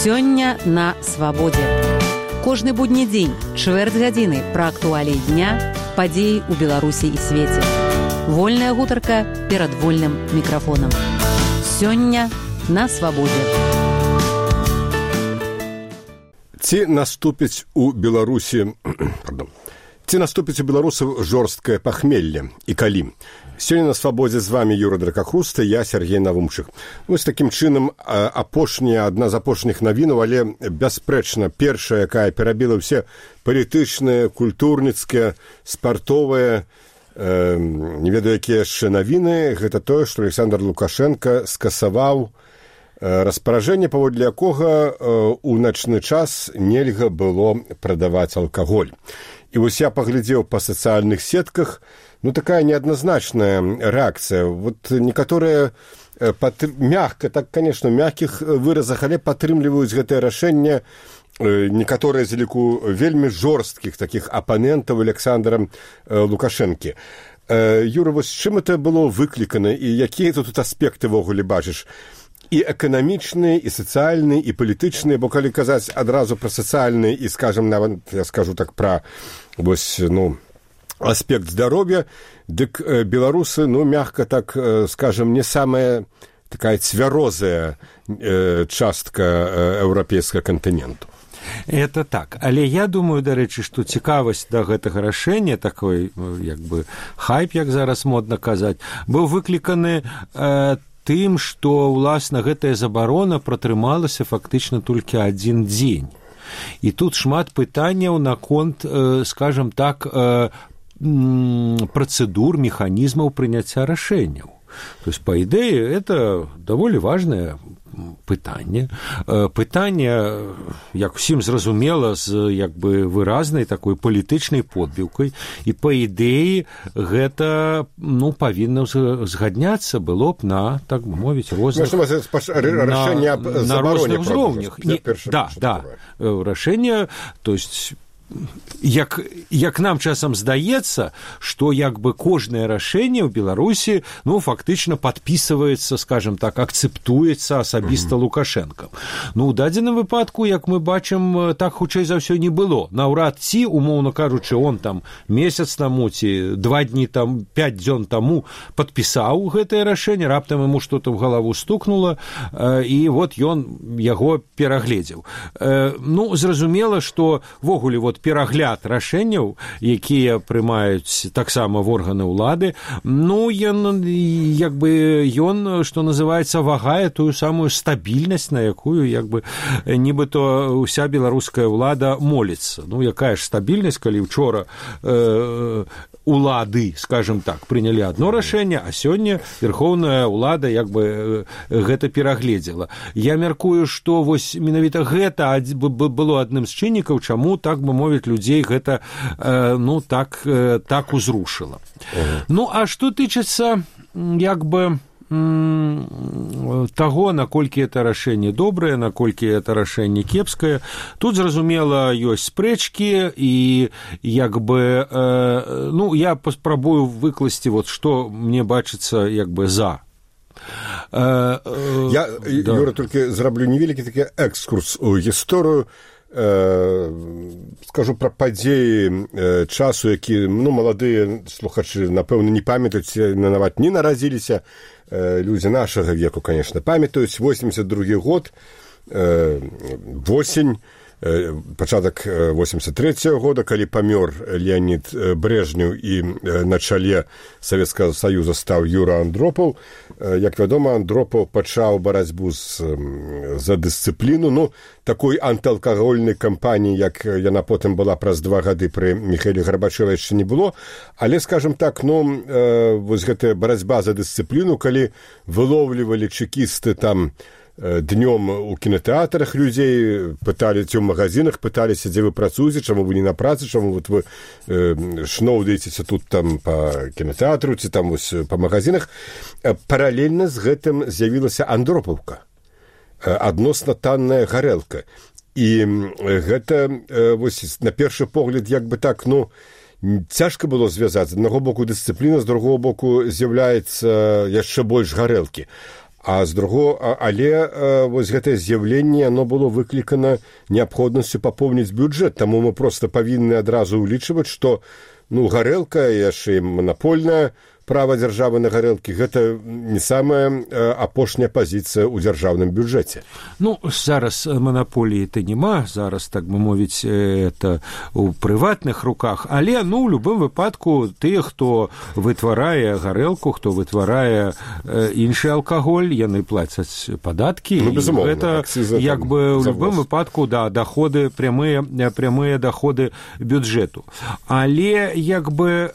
Сёння на свабодзе. Кожны будні дзень, чвэрць гадзіны пра актуаліі дня, падзеі ў Беларусі і свеце. Вольная гутарка перад вольным мікрафонам. Сёння на свабодзе. Ці наступіць у Беларусі, ці наступіць у беларусаў жорсткае пахмелле і калі? Сёння на свабодзе з вами Юра Дракахруста, я Сергей Навумчык. Вось такім чынам адна з апошніх навінаў, але бясспрэчна першая, якая перабіла ўсе палітычныя, культурніцкія, спартовыя, не ведаю, якія яшчэ навіны, гэта тое, што Александр Лукашенко скасаваў распаражэнне, паводле якога у начны час нельга было прадаваць алкаголь. І вось я паглядзеў па сацыяльных сетках, такая неадназначная рэакцыя. Вот некаторыя мягка, так, конечно, мягкіх выразах, але падтрымліваюць гэтае рашэнне некаторыя з ліку вельмі жорсткіх такіх апанентаў Александра Лукашэнкі. Юра, вось чым это было выклікана і якія тут аспекты ввогуле бачыш? І эканамічныя, і сацыяльныя, і палітычныя, бо калі казаць адразу пра сацыяльныя і, скажам, нават, я скажу так, пра вось, аспект здароўя, дык беларусы, мягка так, скажем, не самая такая цвярозая частка еўрапейскага кантыненту. Это так. Але я думаю, дарэчы, што цікавасць да гэтага рашэння, такой, як бы, хайп, як зараз модна казаць, быў выкліканы тым, што, уласна, гэтая забарона пратрымалася фактычна толькі адзін дзень. І тут шмат пытанняў наконт, скажам так, процедур, механизмов прыняцця рашэнняў. То есть, по идее, это довольно важное пытанне. Пытанне, як усім зразумела, з як бы выразнай такой палітычнай подбіўкай, і по ідэі гэта павінна згадняцца было б на, так бы мовіць, розных на розных узроўнях. Да, рашэнне, то есть як нам часам здаецца, што як бы кожнае рашэнне ў Беларусі, фактычна падпісваецца, скажем так, акцэптуецца асабіста Лукашэнкам. У дадзеным выпадку, як мы бачым, так хутчэй за ўсё не было. Наўрад ці, умоўна кажучы, он там месяц таму ці 2 дні там, 5 дзён таму падпісаў гэтае рашэнне, раптам яму што-то ў галаву стукнула, і вот ён яго перагледзеў. Зразумела, што ввогуле перагляд рашэнняў, якія прымаюць таксама в органы ўлады, ён, што называецца, вагае тую самую стабільнасць, на якую, як бы, нібыто ўся беларуская ўлада моліцца. Якая ж стабільнасць, калі учора улады, скажем так, прынялі адно рашэнне, а сёння верхоўная ўлада, як бы, гэта перагледзела. Я мяркую, што вось менавіта гэта было адным з чыннікаў, чаму, так бы мовіць, людзей гэта, так узрушыла. А што тычыцца, як бы, таго, наколькі это рашэнне добрае, наколькі это рашэнне кепскае, тут, зразумела, ёсць спрэчкі, і, як бы, я паспрабую выкласці, вот, што мне бачыцца, як бы, за. Я, Юра, толькі зраблю невялікі такі экскурс у гісторыю, скажу пра падзеі часу, які, маладыя слухачы, напэўна, не памятаюць, нават не нарадзіліся, людзі нашага веку, конечно, памятаюць, 82 год, восень, пачатак 83-го года, калі памёр Леонид Брежнеў і на чале Савецкага Саюза стаў Юра Андропаў. Як вядома, Андропаў пачаў барацьбу за дысцыпліну, такой антыалкагольнай кампаніі, як яна потым была праз 2 гады пры Міхаіле Гарбачэве, яшчэ не было, але, скажем так, вось гэтая барацьба за дысцыпліну, калі вылоўлівалі чекісты там днём у кінотэатрах людзей, пыталі ці ў магазинах, пыталіся, дзе вы працуеце, чаму вы не на працы, чаму вот вы шноўдаецеся тут там па кінотэатру ці там вось па магазинах. Паралельна з гэтым з'явілася Андропаўка, адносна танная гарэлка. І гэта вось на першы погляд як бы так, цяжка было звязаць. З аднаго боку дысцыпліна, з другого боку з'яўляецца яшчэ больш гарэлкі. А з другого, але вось гэтае з'яўленне, оно было выклікана неабходнасцю папоўніць бюджэт, таму мы проста павінны адразу ўлічваць, што гарэлка, яшчэ манапольная права дзяржавы на гарэлкі, гэта не самая апошняя пазіцыя ў дзяржаўным бюджэце. Зараз манаполіі-то няма, зараз, так бы мовіць, это ў прыватных руках, але, ў любым выпадку, тыя, хто вытварае гарэлку, хто вытварае іншы алкаголь, яны плацяць падаткі, безумоўна, гэта, як бы, ў любым выпадку, доходы, прямыя доходы бюджэту. Але, як бы,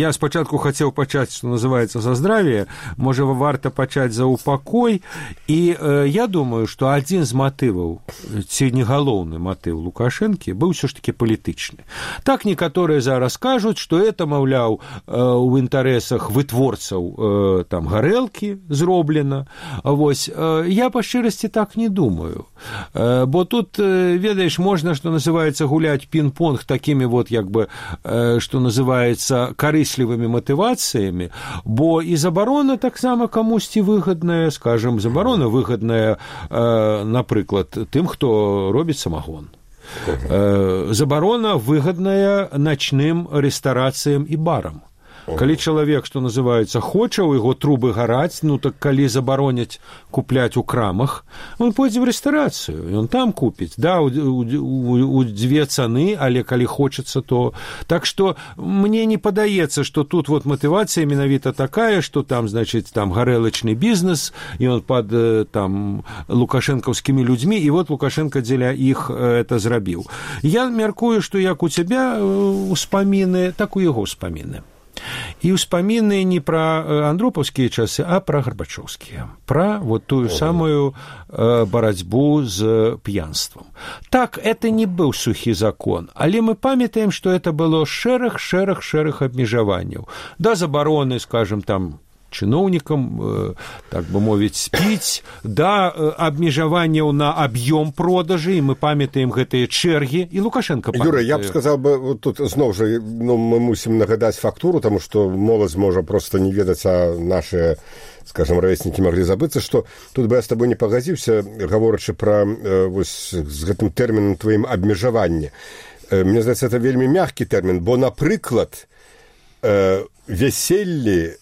я спачатку хацеў пачаць, што называецца, за здравие, можа, варта пачаць за упакой, і я думаю, што адзін з матываў, ці не галоўны матыў Лукашэнкі, быў ўсё ж такі палітычны. Так некаторыя зараз кажуць, што это, маўляў, у інтарэсах вытворцаў там гарэлкі зроблена. Вось, я па шчырасці так не думаю. Бо тут, ведаеш, можна, што называецца, гуляць пінг-понг такімі вот, як бы, што называецца, карыслівымі матывацыямі, бо і забарона таксама камусьці выгадная, скажем, забарона выгадная, напрыклад, тым, хто робіць самагон. Забарона выгадная начным рэстарацыям і барам. Калі чалавек, што называецца, хоча, у яго трубы гараць, так калі забароняць купляць у крамах, он пойдзе ў рэстарацыю, ён там купіць, да, у дзве цаны, але калі хочацца, то... Так што мне не падаецца, што тут вот матывацыя менавіта такая, што там, значыць, там гарэлачны бізнес, і он пад там лукашэнкаўскімі людзьмі, і вот Лукашенко дзеля іх это зрабіў. Я мяркую, што як у цябе ўспаміны, так у яго ўспаміны. І ўспаміны не пра андропаўскія часы, а пра гарбачоўскія, пра вот тую самую барацьбу з п'янствам. Так, это не быў сухі закон, але мы памятаем, што это было шэраг абмежаванняў. Да забароны, скажем, там, чыноўнікам, так бы мовіць, спіць, да абмежаванняў на аб'ём продажы, і мы памятаем гэтыя чэргі, і Лукашенко памятае. Юра, я б сказаў бы, вот тут зноў жа, мы мусім нагадаць фактуру, таму што моладзь можа проста не ведаць, а нашыя, скажем, равеснікі маглі забыцца, што тут бы я з табой не пагадзіўся, гаворачы пра вось з гэтым тэрмінам тваім абмежаванне. Мне здаецца, это вельмі мяккі тэрмін, бо, напрыклад, вяселлі,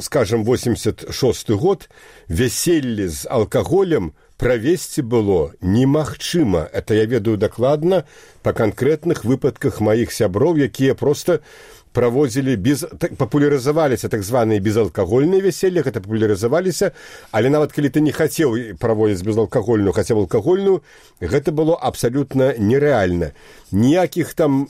скажем, 86 год, вяселле з алкаголем правесці было немагчыма. Это я ведаю дакладна па канкрэтных выпадках маіх сяброў, якія проста праводзілі папулярызаваліся так званыя безалкагольныя вяселлі, гэта папулярызаваліся, але нават калі ты не хацеў праводзіць безалкагольную, хацеў алкагольную, гэта было абсалютна нерэальна. Ніякіх там,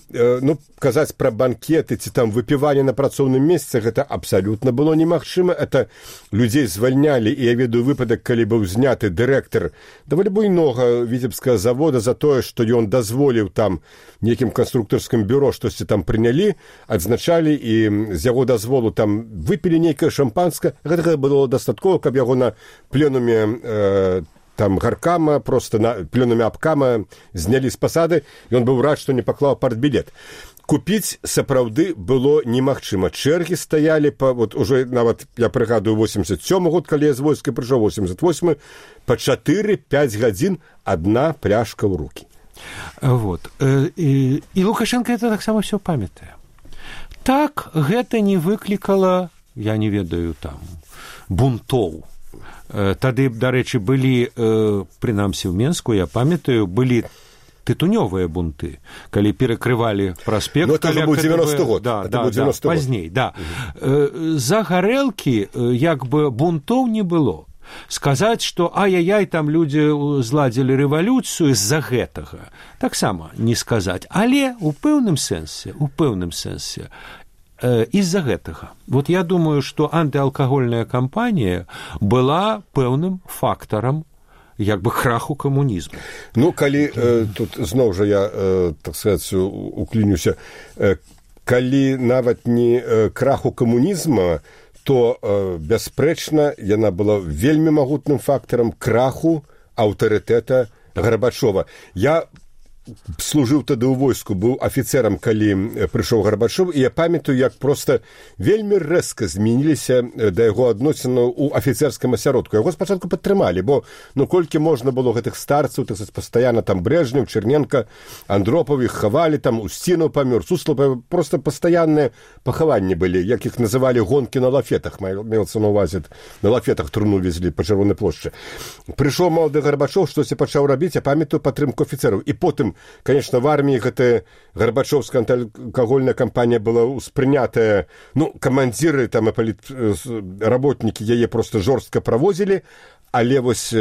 казаць пра банкеты ці там выпіванне на працоўным месцы, гэта абсалютна было немагчыма. Это людзей звальнялі, і я ведаю выпадак, калі быў зняты дырэктар даволі буйнога віцебскага завода за тое, што ён дазволіў там нейкім канструктарскім бюро штосьці там прынялі, адзначалі, і з яго дазволу там выпілі нейкае шампанскае. Гэтага было дастаткова, каб яго на пленуме там гаркама, просто на пленуме абкама знялі з пасады, і ён быў рад, што не паклаў партбілет. Купіць сапраўды было немагчыма. Чэргі стаялі вот уже нават, я прыгадую, 87 год, калі я з войска прыйшоў, 88, па 4-5 гадзін адна пляшка ў рукі. Вот. І Лукашенко это таксама все памятае. Так, гэта не выклікала, я не ведаю, там, бунтоў. Тады, дарэчы, былі, прынамсі ў Менску, я памятаю, былі тытунёвыя бунты, калі перакрывалі праспект. Это быў 90 год. Да, пазней, да. За гарэлкі, як бы, бунтоў не было. Сказаць, што ай-яй-яй, там людзі зладзілі рэвалюцыю з-за гэтага, таксама не сказаць. Але ў пэўным сэнсе, из-за гэтага. Вот я думаю, што антыалкагольная кампанія была пэўным фактарам як бы краху камунізму. Калі тут зноў жа я, так сказаць, уклінюся, калі нават не краху камунізма, то, бясспрэчна, яна была вельмі магутным фактарам краху аўтарытэта Гарбачова. Я служыў тады ў войску, быў афіцэрам, калі прыйшоў Гарбачоў, і я памятаю, як проста вельмі рэзка змяніліся да яго адносінаў у афіцэрскім асяродку. Яго спачатку падтрымалі, бо колькі можна было гэтых старцаў, так сказаць, пастаянна там Брэжнеў, Черненко, Андропаў, іх хавалі, там Устінаў памёр, Суслаў, проста пастаянныя пахаванні былі, як іх называлі гонкі на лафетах, мелся на увазе, на лафетах труну везлі па Чырвонай плошчы. Прыйшоў малады Гарбачоў, штосьці пачаў рабіць, я памятаю падтрымку афіцэраў. І потым, конечно, в армии гэтая гарбачоўская антыалкагольная кампанія была ўспрынятая, камандзіры там і работнікі яе просто жорстка правозілі, але вось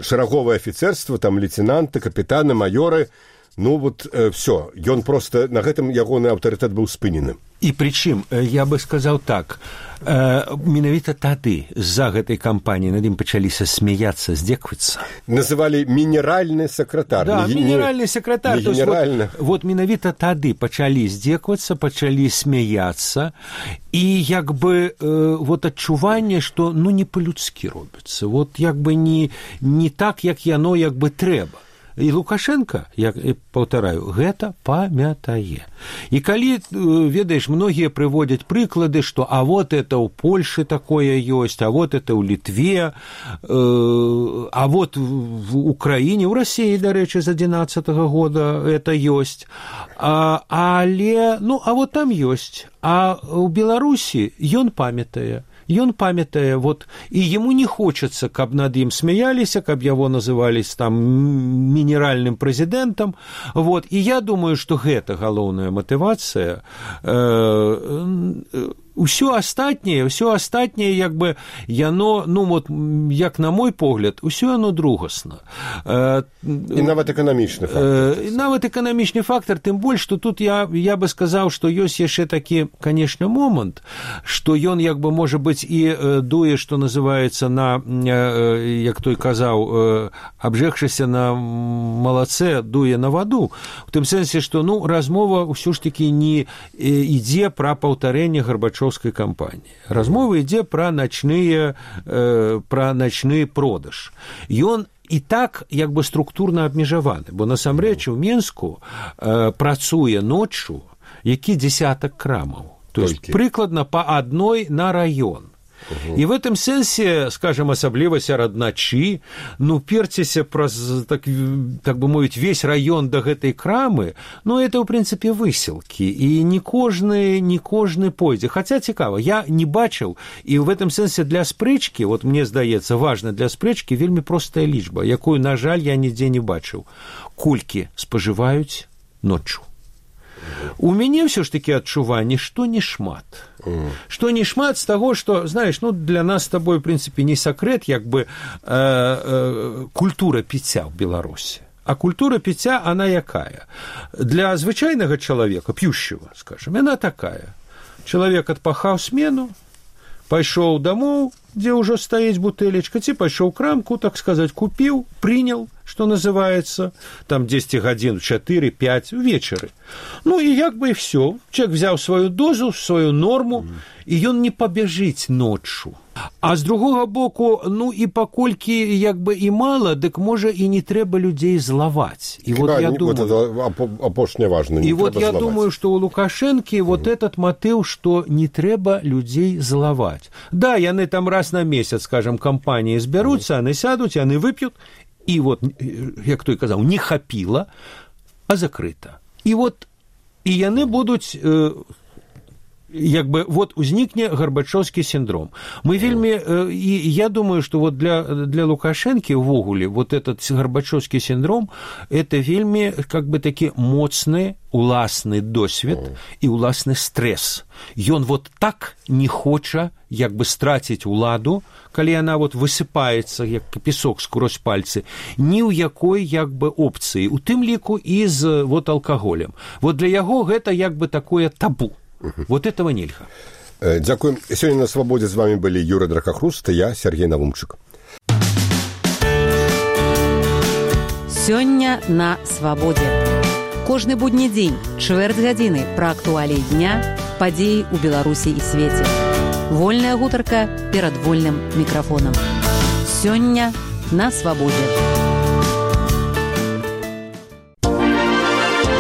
шараговае афіцэрства, там лейтенанты, капітаны, маёры, все, ён просто, на гэтым ягоны аўтарытэт быў спынены. І прычым, я бы сказаў так, менавіта тады з-за гэтай кампаніі над ім пачаліся смяяцца, здзеквацца. Называлі мінеральны сакратар. Да, мінеральны сакратар. Не генеральны. Вот менавіта тады пачалі здзеквацца, пачалі смяяцца, і як бы вот адчуванне, што не па-людскі робіцца. Вот як бы не так, як яно як бы трэба. І Лукашенко, як паўтараю, гэта памятае. І калі, ведаеш, многія прыводзяць прыклады, што а вот это ў Польшы такое ёсць, а вот это ў Літве, а вот в Украіне, ў Расіі, дарэчы, з 11-го года это ёсць, але, а вот там ёсць, а ў Беларусі ён памятае. Ён памятае, і яму не хочацца, каб над ім смяяліся, каб яго назывались там мінеральным прэзідэнтам. І я думаю, што гэта галоўная матывацыя. Усё астатняе, як бы, яно, як на мой погляд, усё яно другасна. І нават эканамічны фактар. Нават эканамічны фактар, тым больш, што тут я бы сказаў, што ёсць яшчэ такі, канешне, момант, што ён, як бы, можа быць, і дуе, што называецца на, як той казаў, абжегшыся на малацэ, дуе на ваду. У тым сэнсе, што, размова ўсё ж такі не ідзе пра паўтарэнне Гарбачоўскай кампаніі. Размова ідзе пра начны продаж. Ён і так як бы структурна абмежаваны, бо насамрэч у Менску працуе ноччу які дзесятак крамаў. То есть прыкладна па адной на раён. І в этом сэнсе, скажем, асабліва сярод начы, перціся праз, так бы мовіць, весь раён да гэтай крамы, это, ў прынцыпе, высілкі, і не кожны пойдзе. Хаця цікава, я не бачыў, і в этом сэнсе для спрэчкі, мне здаецца, важна для спрэчкі вельмі простая лічба, якую, на жаль, я нідзе не бачыў. Колькі спажываюць ноччу. У мяне ўсё ж такі адчуванне, што не шмат. Што не шмат з таго, што, знаеш, для нас з табой, в прынцыпе, не сакрэт, як бы культура піцця ў Беларусі. А культура піцця, она якая? Для звычайнага чалавека, п'ющего, скажем, яна такая. Чалавек адпахаў смену, пайшоў дамоў, дзе ўжо стаіць бутэлечка, ці пайшоў крамку, так сказаць, купіў, прынял, што называецца, там 10 гадзін, 4-5 увечары. І як бы і все. Чалавек взяў сваю дозу, сваю норму, і ён не пабяжыць ноччу. А з другога боку, і паколькі як бы і мала, дык можа і не трэба людзей злаваць. І я думаю, апошняе важна, не трэба злаваць. Я думаю, што ў Лукашэнкі этот матыў, што не трэба людзей злаваць. Да, яны там раз на месяц, скажем, кампаніі збяруцца, яны сядуць, яны вып'ют, і як той казаў, не хапіла, а закрыта. І яны будуць, як бы, узнікне гарбачоўскі сіндром. Мы вельмі, і я думаю, што для Лукашэнкі ўвогуле этот гарбачоўскі сіндром это вельмі, как бы, такі моцны уласны досвед і уласны стрэс. Ён так не хоча, як бы, страціць уладу, калі яна высыпаецца, як песок скрозь пальцы, ні ў якой, як бы, опцыі, у тым ліку і з алкаголем. Для яго гэта, як бы, такое табу. Этого нельга. Дзякуем. Сёння на свабодзе з вами былі Юрый Дракахруст і я, Сергей Навумчык. Сёння на свабодзе. Кожны будні дзень, чвэрць гадзіны пра актуаліі дня, падзеі ў Беларусі і свеце. Вольная гутарка перад вольным мікрафонам. Сёння на свабодзе.